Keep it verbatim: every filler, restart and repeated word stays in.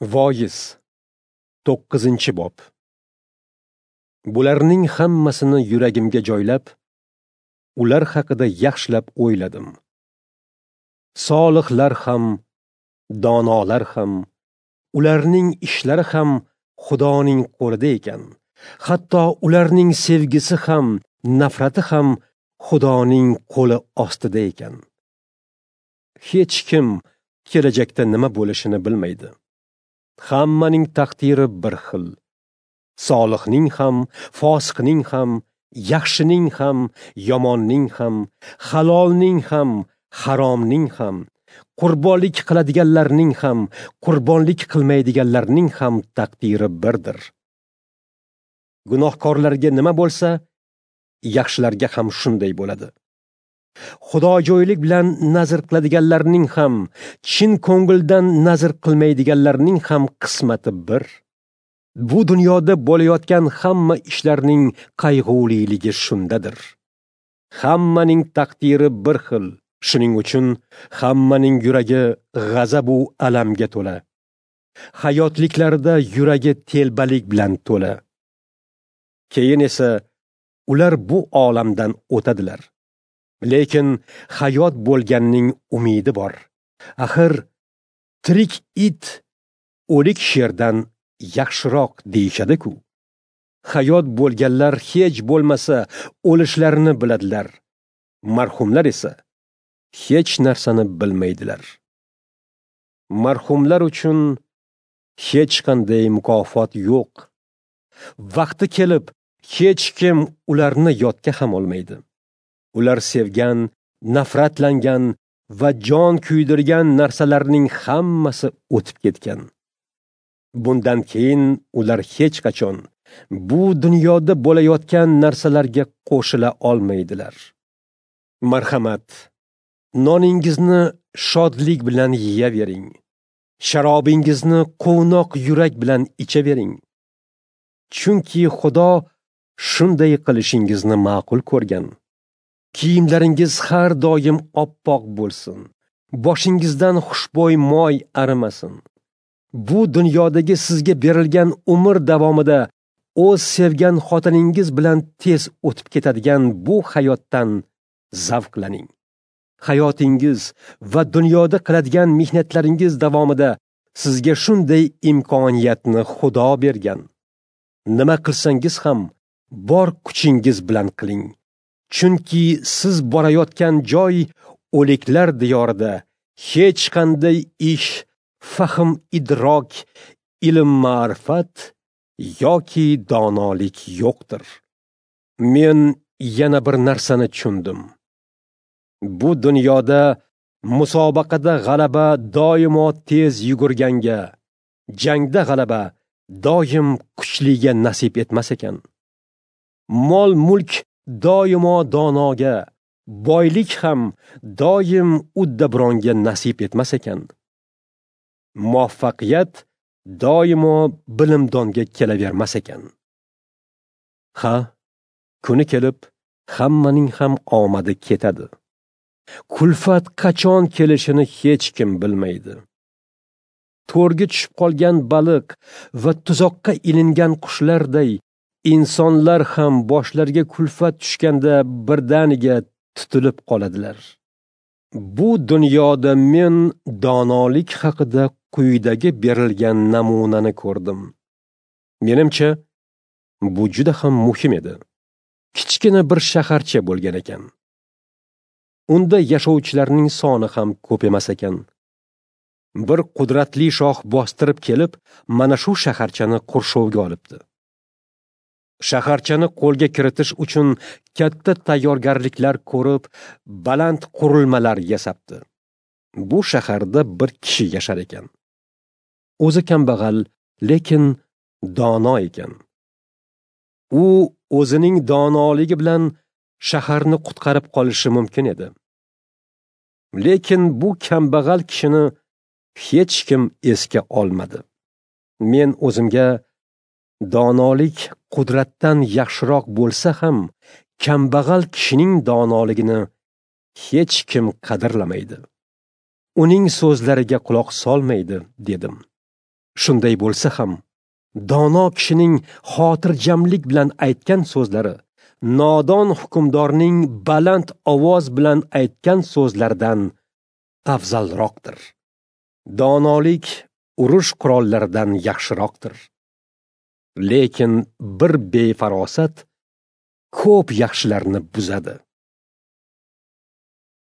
Voiz to'qqizinchi bob. Bularning hammasini yuragimga joylab, ular haqida yaxshilab o'yladim. Solihlar ham, donolar ham, ularning ishlari ham Xudoning qo'lida ekan. Hatto ularning sevgisi ham, nafrati ham Xudoning qo'li ostida ekan. Hech kim kelajakda nima bo'lishini bilmaydi. Hammaning taqdiri bir xil. Solihning ham, fosiqning ham, yaxshining ham, yomonning ham, halolning ham, haromning ham, qurbonlik qiladiganlarning ham, qurbonlik qilmaydiganlarning ham taqdiri birdir. Gunohkorlarga nima bo'lsa, yaxshilarga ham shunday bo'ladi. Xudojo'ylik bilan nazr qiladiganlarning ham, chin ko'ngildan nazr qilmaydiganlarning ham qismati bir. Bu dunyoda bo'layotgan hamma ishlarning qayg'uliligi shundadir. Hammaning taqdiri bir xil. Shuning uchun hammaning yuragi g'azab u alamga to'la. Hayotliklarida yuragi telbalik bilan to'la. Keyin esa ular bu olamdan o'tadilar. Lekin hayot bo'lganning umidi bor. Axir tirik it o'lik sherdan yaxshiroq deyishadi-ku. Hayot bo'lganlar hech bo'lmasa o'lishlarini biladilar. Marhumlar esa hech narsani bilmaydilar. Marhumlar uchun hech qanday mukofot yo'q. Vaqti kelib hech kim ularni yodga ham olmaydi. Ular sevgan, nafratlangan va jon kuydirgan narsalarning hammasi o'tib ketgan. Bundan keyin ular hech qachon bu dunyoda bo'layotgan narsalarga qo'shila olmaydilar. Marhamat, noningizni shodlik bilan yeyavering. Sharobingizni quvnoq yurak bilan ichavering. Chunki Xudo shunday qilishingizni ma'qul ko'rgan. Kiyimlaringiz har doim oppoq bo'lsin. Boshingizdan xushbo'y moy arimasin. Bu dunyodagi sizga berilgan umr davomida o'z sevgan xotiningiz bilan tez o'tib ketadigan bu hayotdan zavqlaning. Hayotingiz va dunyoda qiladigan mehnatlaringiz davomida sizga shunday imkoniyatni Xudo bergan. Nima qilsangiz ham bor kuchingiz bilan qiling. Chunki siz borayotgan joy o'liklar diyorida hech qanday ish, fahm idrok, ilm ma'rifat yoki donolik yo'qdir. Men yana bir narsani tushundim. Bu dunyoda musobaqada g'alaba doimo tez yugurganga, jangda g'alaba doim kuchliga nasib etmas ekan. Mol-mulk doimo donoga, boylik ham doim uddabronga nasib etmas ekan. Muvaffaqiyat doimo bilimdonga kelavermas ekan. Ha, kuni kelib hammaning ham omadi ketadi. Kulfat qachon kelishini hech kim bilmaydi. To'rga tushib qolgan baliq va tuzoqqa ilingan qushlarday insonlar ham boshlariga kulfat tushganda birdaniga tutilib qoladilar. Bu dunyoda men donolik haqida quyidagi berilgan namunani ko'rdim. Menimcha, bu juda ham muhim edi. Kichkina bir shaharcha bo'lgan ekan. Unda yashovchilarning soni ham ko'p emas ekan. Bir qudratli shoh bostirib kelib, mana shu shaharchani qurshovga olibdi. Shaharchani qo'lga kiritish uchun katta tayyorgarliklar ko'rib, baland qurilmalar yasabdi. Bu shaharda bir kishi yashar ekan. O'zi kambag'al, lekin dono ekan. U o'zining donoligi bilan shaharni qutqarib qolishi mumkin edi. Lekin bu kambag'al kishini hech kim esga olmadi. Men o'zimga donolik qudratdan yaxshiroq bo'lsa ham, kambag'al kishining donoligini hech kim qadrlamaydi. Uning so'zlariga quloq solmaydi, dedim. Shunday bo'lsa ham, dono kishining xotirjamlik bilan aytgan so'zlari nodon hukmdorning baland ovoz bilan aytgan so'zlaridan afzalroqdir. Donolik urush qurollaridan yaxshiroqdir. Lekin bir befarosat ko'p yaxshilarni buzadi.